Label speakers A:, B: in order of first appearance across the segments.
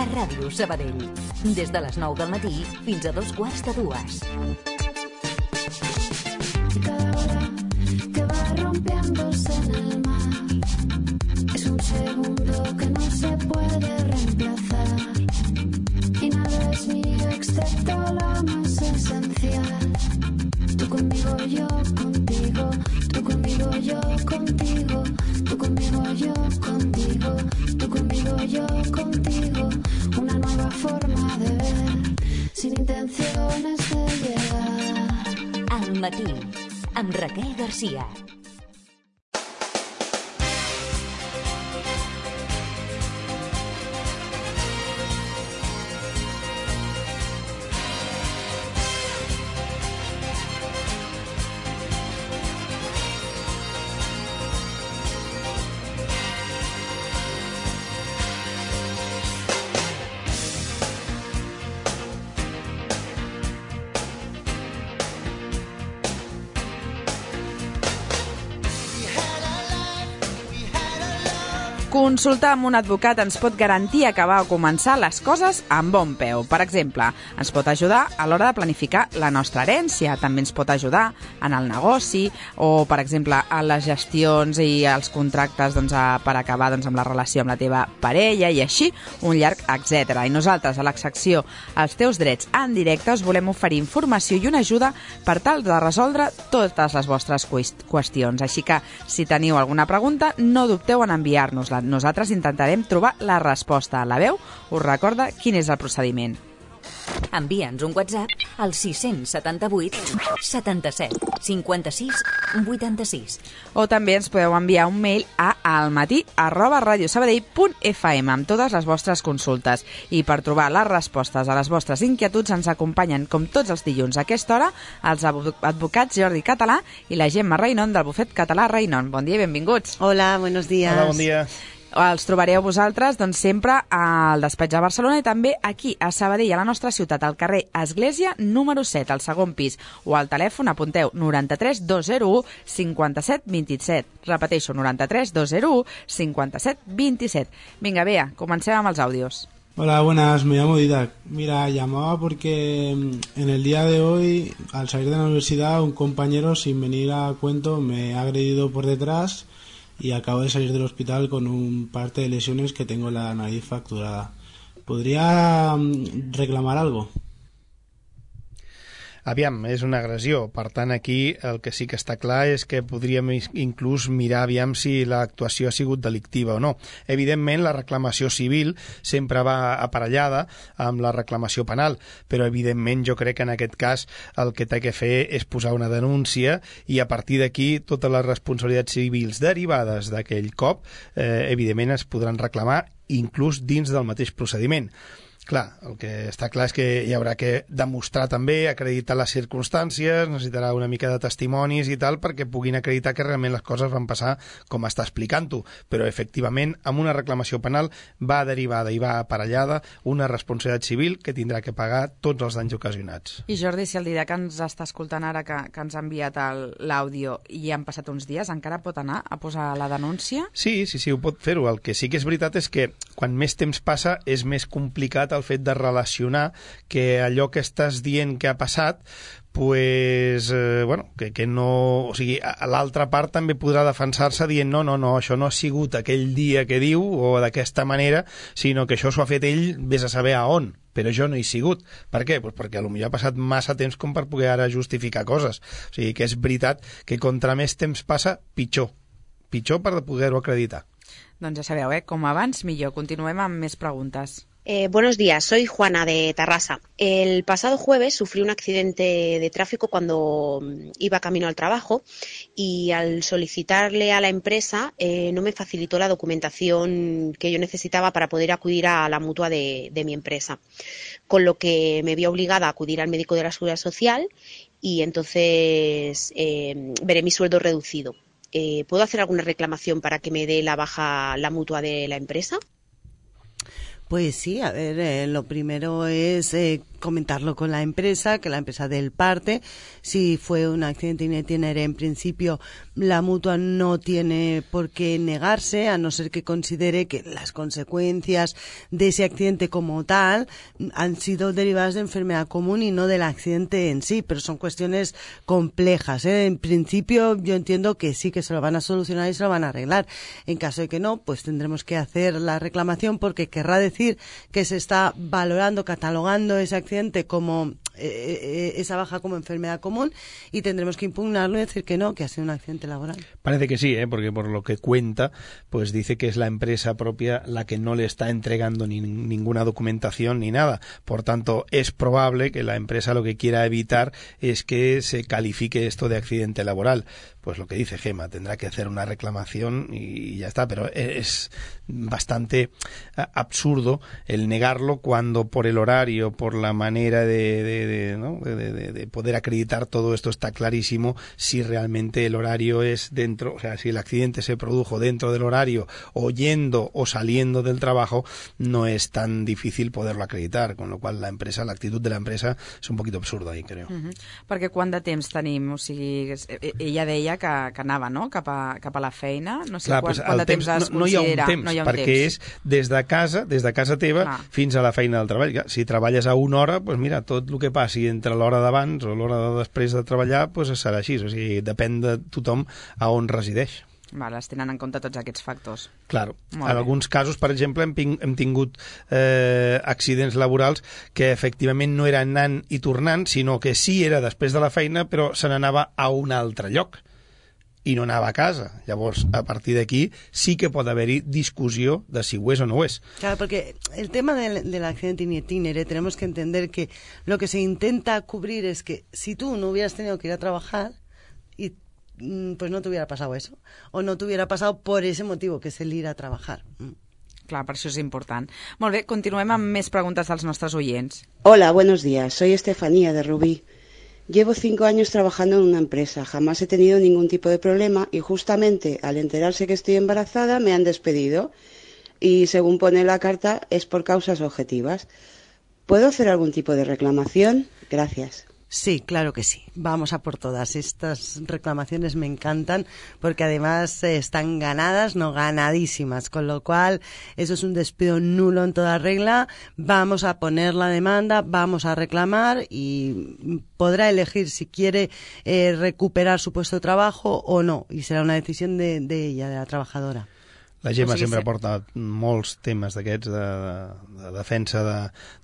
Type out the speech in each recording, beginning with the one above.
A: a Ràdio Sabadell. Des de les 9 del matí fins a 2:15.
B: Cada hora que va rompiéndose en el mar es un segundo que no se puede reemplazar. Y nada es mío excepto lo más esencial. Tú conmigo, yo contigo. Tú conmigo, yo contigo. Tú conmigo, yo contigo. Tú conmigo, yo contigo. Una nueva forma de ver, sin intenciones de llegar.
A: Al matí, amb Raquel Garcia.
C: Consultar amb un advocat ens pot garantir acabar o començar les coses amb bon peu. Per exemple, ens pot ajudar a l'hora de planificar la nostra herència, també ens pot ajudar en el negoci o, per exemple, a les gestions i els contractes per acabar amb la relació amb la teva parella i així, un llarg etc. I nosaltres, a la secció Els teus drets en directe, us volem oferir informació i una ajuda per tal de resoldre totes les vostres qüestions. Així que, si teniu alguna pregunta, no dubteu en enviar-nos-la. Nosaltres intentarem trobar la resposta. La veu us recorda quin és el procediment.
A: Envia'ns un WhatsApp al 678 77 56 86.
C: O també ens podeu enviar un mail a almatí@radiosabadell.fm amb totes les vostres consultes. I per trobar les respostes a les vostres inquietuds ens acompanyen, com tots els dilluns a aquesta hora, els advocats Jordi Català i la Gemma Reinon del bufet català Reinon. Bon dia i benvinguts.
D: Hola, buenos días.
E: Hola, bon dia.
C: Els trobareu vosaltres sempre al despatx de Barcelona i també aquí a Sabadell, a la nostra ciutat, al carrer Església número 7, al segon pis, o al telèfon, apunteu, 93 201 57 27. Repeteixo, 93 201 57 27. Vinga, Bea, comencem amb els àudios.
F: Hola, buenas, me llamo Didac. Mira, llamaba porque en el día de hoy, al salir de la universidad, un compañero, sin venir a cuento, me ha agredido por detrás y acabo de salir del hospital con un parte de lesiones que tengo la nariz fracturada. ¿Podría reclamar algo?
E: Aviam, és una agressió. Per tant, aquí el que sí que està clar és que podríem inclús mirar aviam si l'actuació ha sigut delictiva o no. Evidentment, la reclamació civil sempre va aparellada amb la reclamació penal, però evidentment jo crec que en aquest cas el que té que fer és posar una denúncia i a partir d'aquí totes les responsabilitats civils derivades d'aquell cop evidentment es podran reclamar inclús dins del mateix procediment. Clar, el que està clar és que hi haurà que demostrar també, acreditar les circumstàncies, necessitarà una mica de testimonis i tal perquè puguin acreditar que realment les coses van passar com està explicant-ho, però efectivament amb una reclamació penal va derivada i va aparellada una responsabilitat civil que tindrà que pagar tots els danys ocasionats.
C: I Jordi, si el Didac ens està escoltant ara que ens ha enviat l'àudio i han passat uns dies, encara pot anar a posar la denúncia?
E: Sí, ho pot fer-ho. El que sí que és veritat és que quan més temps passa és més complicat el fet de relacionar que allò que estàs dient que ha passat pues, que no... O sigui, l'altra part també podrà defensar-se dient no, això no ha sigut aquell dia que diu o d'aquesta manera, sinó que això s'ho ha fet ell, vés a saber a on, però jo no hi he sigut. Per què? Pues perquè potser ha passat massa temps com per poder ara justificar coses. O sigui, que és veritat que contra més temps passa, pitjor per poder-ho acreditar.
C: Doncs ja sabeu, com abans, millor. Continuem amb més preguntes.
G: Buenos días, soy Juana de Tarrasa. El pasado jueves sufrí un accidente de tráfico cuando iba camino al trabajo y al solicitarle a la empresa no me facilitó la documentación que yo necesitaba para poder acudir a la mutua de mi empresa, con lo que me vi obligada a acudir al médico de la Seguridad Social y entonces veré mi sueldo reducido. ¿Puedo hacer alguna reclamación para que me dé la baja la mutua de la empresa?
D: Pues sí, a ver, lo primero es comentarlo con la empresa, que la empresa dé el parte. Si fue un accidente in itinere, en principio la mutua no tiene por qué negarse, a no ser que considere que las consecuencias de ese accidente como tal han sido derivadas de enfermedad común y no del accidente en sí, pero son cuestiones complejas, ¿eh? En principio yo entiendo que sí, que se lo van a solucionar y se lo van a arreglar. En caso de que no, pues tendremos que hacer la reclamación, porque querrá decir que se está valorando, catalogando ese accidente como esa baja como enfermedad común, y tendremos que impugnarlo y decir que no, que ha sido un accidente laboral.
E: Parece que sí, porque por lo que cuenta, pues dice que es la empresa propia la que no le está entregando ninguna documentación ni nada. Por tanto, es probable que la empresa lo que quiera evitar es que se califique esto de accidente laboral. Pues lo que dice Gemma, tendrá que hacer una reclamación y ya está, pero es bastante absurdo el negarlo cuando por el horario, por la manera de poder acreditar todo esto está clarísimo. Si realmente el horario es dentro, o sea, si el accidente se produjo dentro del horario o yendo o saliendo del trabajo, no es tan difícil poderlo acreditar, con lo cual la actitud de la empresa és un poquito absurda ahí, creo.
C: Perquè quant de temps tenim? O sigui, ella deia que anava, no?, cap a la feina. No sé quant de temps es considera.
E: No hi ha un temps, perquè és des de casa teva fins a la feina del treball. Si treballes a una hora, doncs mira, tot el que passi entre l'hora d'abans o l'hora de després de treballar, doncs serà així. O sigui, depèn de tothom a on resideix.
C: Vale, es tenen en compte tots aquests factors.
E: Claro. En alguns casos, per exemple, hem tingut accidents laborals que efectivament no era anant i tornant, sinó que sí era després de la feina, però se n'anava a un altre lloc i no anava a casa. Llavors, a partir d'aquí sí que pot haver-hi discussió de si ho és o no ho és.
D: Claro, porque el tema del accidente in itinere, tenemos que entender que lo que se intenta cubrir es que si tú no hubieras tenido que ir a trabajar y pues no te hubiera pasado eso, o no te hubiera pasado por ese motivo, que es el ir a trabajar.
C: Clar, per això és important. Molt bé, continuem amb més preguntes dels nostres oients.
H: Hola, buenos días. Soy Estefanía de Rubí. Llevo 5 años trabajando en una empresa. Jamás he tenido ningún tipo de problema y justamente al enterarse que estoy embarazada me han despedido y según pone la carta es por causas objetivas. ¿Puedo hacer algún tipo de reclamación? Gracias.
D: Sí, claro que sí. Vamos a por todas. Estas reclamaciones me encantan porque además están ganadas, no ganadísimas, con lo cual eso es un despido nulo en toda regla. Vamos a poner la demanda, vamos a reclamar y podrá elegir si quiere recuperar su puesto de trabajo o no, y será una decisión de ella, de la trabajadora.
E: La Gemma sempre porta molts temes d'aquests de defensa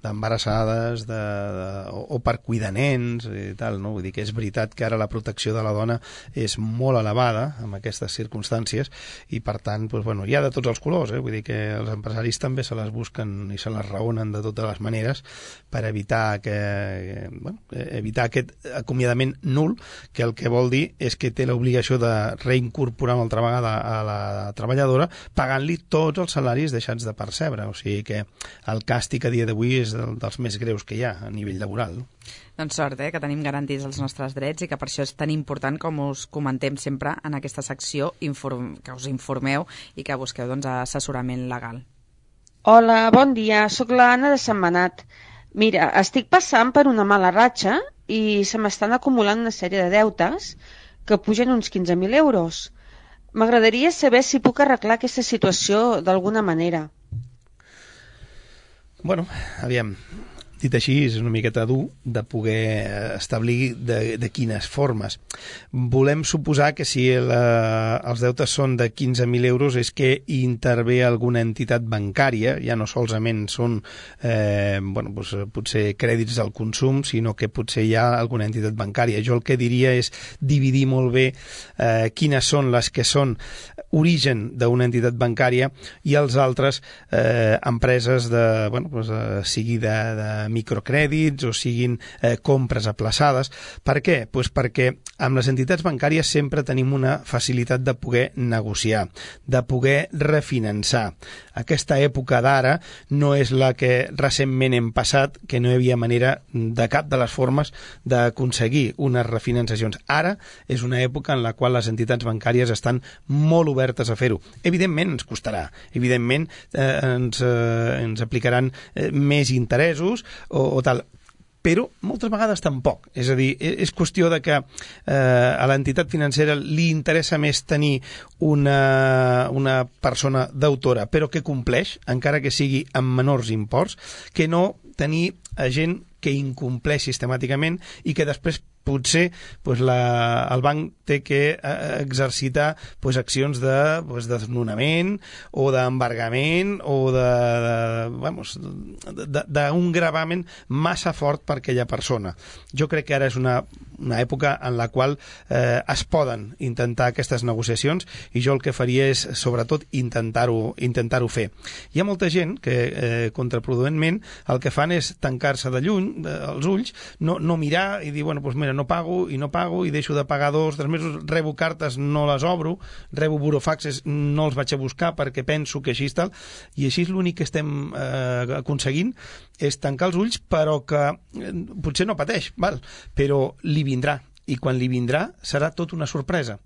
E: d'embarassades o per cuidar nens i tal, no? Vull dir que és veritat que ara la protecció de la dona és molt elevada en aquestes circumstàncies i per tant, doncs, bueno, hi ha de tots els colors, vull dir que els empresaris també se les busquen i se les raonen de totes les maneres per evitar evitar aquest acomiadament nul, que el que vol dir és que té l'obligació de reincorporar una altra vegada a la treballadora pagant-li tots els salaris deixats de percebre. O sigui que el càstig a dia d'avui és dels més greus que hi ha a nivell laboral.
C: Doncs sort, que tenim garantits els nostres drets i que per això és tan important, com us comentem sempre en aquesta secció, que us informeu i que busqueu assessorament legal.
I: Hola, bon dia, sóc l'Anna de Sentmenat. Mira, estic passant per una mala ratxa i se m'estan acumulant una sèrie de deutes que pugen uns 15.000 euros. M'agradaria saber si puc arreglar aquesta situació d'alguna manera.
E: Bueno, aviam, dit així, és una miqueta dur de poder establir de quines formes. Volem suposar que si els deutes són de 15.000 euros és que intervé alguna entitat bancària, ja no solament són potser crèdits al consum, sinó que potser hi ha alguna entitat bancària. Jo el que diria és dividir molt bé quines són les que són origen d'una entitat bancària i els altres empreses sigui de microcrèdits o siguin compres aplaçades. Per què? Pues perquè amb les entitats bancàries sempre tenim una facilitat de poder negociar, de poder refinançar. Aquesta època d'ara no és la que recentment hem passat, que no hi havia manera de cap de les formes d'aconseguir unes refinançacions. Ara és una època en la qual les entitats bancàries estan molt obertes a fer-ho. Evidentment ens costarà, evidentment ens aplicaran més interessos o tal, però moltes vegades tampoc. És a dir, és qüestió de que a l'entitat financera li interessa més tenir una persona deutora, però que compleix, encara que sigui amb menors imports, que no tenir gent que incompleix sistemàticament i que després potser el banc té que exercitar accions de desnonament o d'embargament o d'un gravamen massa fort per aquella persona. Jo crec que ara és una època en la qual es poden intentar aquestes negociacions i jo el que faria és, sobretot, intentar-ho fer. Hi ha molta gent que, contraproduentment, el que fan és tancar-se de lluny, els ulls, no mirar i dir, bueno, doncs mira, no pago i deixo de pagar 2 o 3 mesos, rebo cartes, no les obro, rebo burofaxes, no els vaig a buscar perquè penso que així és tal, i així l'únic que estem aconseguint és tancar els ulls, però que potser no pateix, però li vindrà. I quan li vindrà serà tot una sorpresa.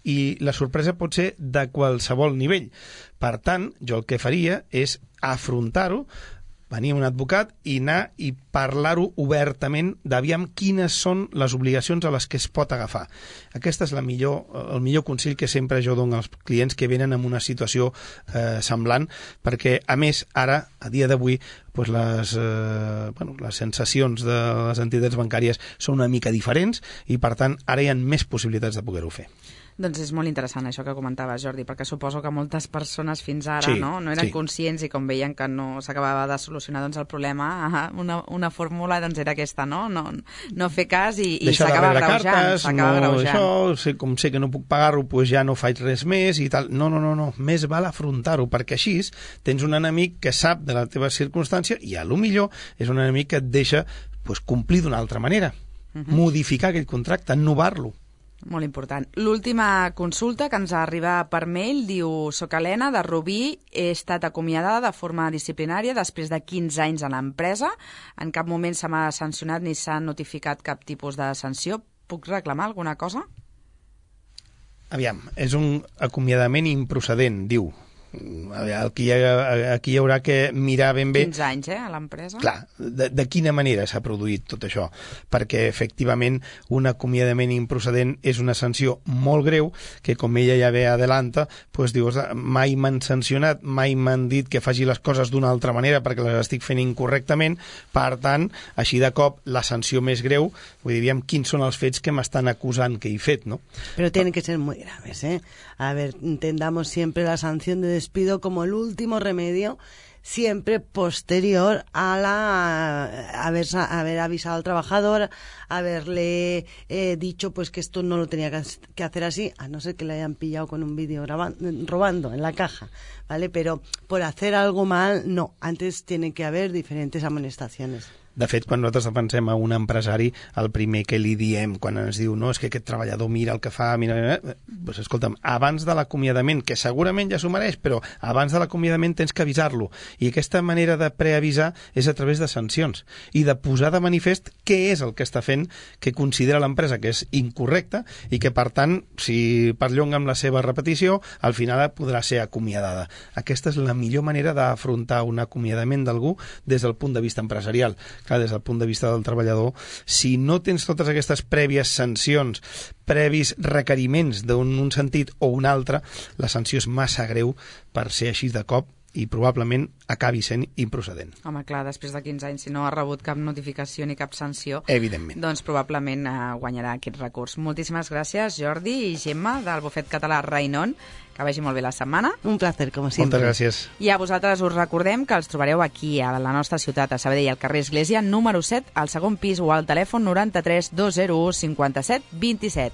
E: I la sorpresa pot ser de qualsevol nivell. Per tant, jo el que faria és afrontar-ho, venir un advocat i anar i parlar-ho obertament d'aviam quines són les obligacions a les que es pot agafar. Aquest és el millor consell que sempre jo dono als clients que venen en una situació semblant, perquè, a més, ara, a dia d'avui, les sensacions de les entitats bancàries són una mica diferents i, per tant, ara hi ha més possibilitats de poder-ho fer.
C: Doncs és molt interessant això que comentaves, Jordi, perquè suposo que moltes persones fins ara no eren conscients i com veien que no s'acabava de solucionar el problema, una fórmula era aquesta, no fer cas i s'acaba agreujant.
E: Com sé que no puc pagar-ho, doncs ja no faig res més i tal. No, més val afrontar-ho, perquè així tens un enemic que sap de la teva circumstància i a lo millor és un enemic que et deixa complir d'una altra manera, modificar aquell contracte, innovar-lo.
C: Molt important. L'última consulta que ens arriba per mail diu: soc Helena, de Rubí, he estat acomiadada de forma disciplinària després de 15 anys a l'empresa. En cap moment se m'ha sancionat ni s'ha notificat cap tipus de sanció. Puc reclamar alguna cosa?
E: Aviam, és un acomiadament improcedent, diu. Aquí hi haurà que mirar ben bé
C: 15 anys a l'empresa.
E: Clar, de quina manera s'ha produït tot això, perquè efectivament un acomiadament improcedent és una sanció molt greu que, com ella ja ve adelanta, dius, mai m'han sancionat, mai m'han dit que faci les coses d'una altra manera perquè les estic fent incorrectament, per tant, així de cop la sanció més greu, vull dir, quins són els fets que m'estan acusant que he fet, ¿no?
D: Pero tienen que ser muy graves, ¿eh? A ver, entendamos siempre la sanción de despido como el último remedio, siempre posterior a haber avisado al trabajador, haberle dicho que esto no lo tenía que hacer así, a no ser que le hayan pillado con un vídeo robando en la caja, ¿vale? Pero por hacer algo mal, no. Antes tiene que haber diferentes amonestaciones.
E: De fet, quan nosaltres defensem a un empresari, el primer que li diem quan ens diu no, és que aquest treballador mira el que fa, doncs escolta'm, abans de l'acomiadament, que segurament ja s'ho mereix, però abans de l'acomiadament tens que avisar-lo. I aquesta manera de preavisar és a través de sancions i de posar de manifest què és el que està fent que considera l'empresa que és incorrecte i que, per tant, si perllonga amb la seva repetició, al final podrà ser acomiadada. Aquesta és la millor manera d'afrontar un acomiadament d'algú des del punt de vista empresarial. Clar, des del punt de vista del treballador, si no tens totes aquestes prèvies sancions, previs requeriments d'un sentit o un altre, la sanció és massa greu per ser així de cop i probablement acabi sent improcedent.
C: Home, clar, després de 15 anys, si no ha rebut cap notificació ni cap sanció,
E: evidentment,
C: doncs probablement guanyarà aquest recurs. Moltíssimes gràcies, Jordi i Gemma, del bufet català Rainon. Que vagi molt bé la setmana.
D: Un placer, com sempre.
E: Moltes gràcies.
C: I a vosaltres us recordem que els trobareu aquí, a la nostra ciutat, a Sabadell, al carrer Església, número 7, al segon pis o al telèfon 93 201 57 27.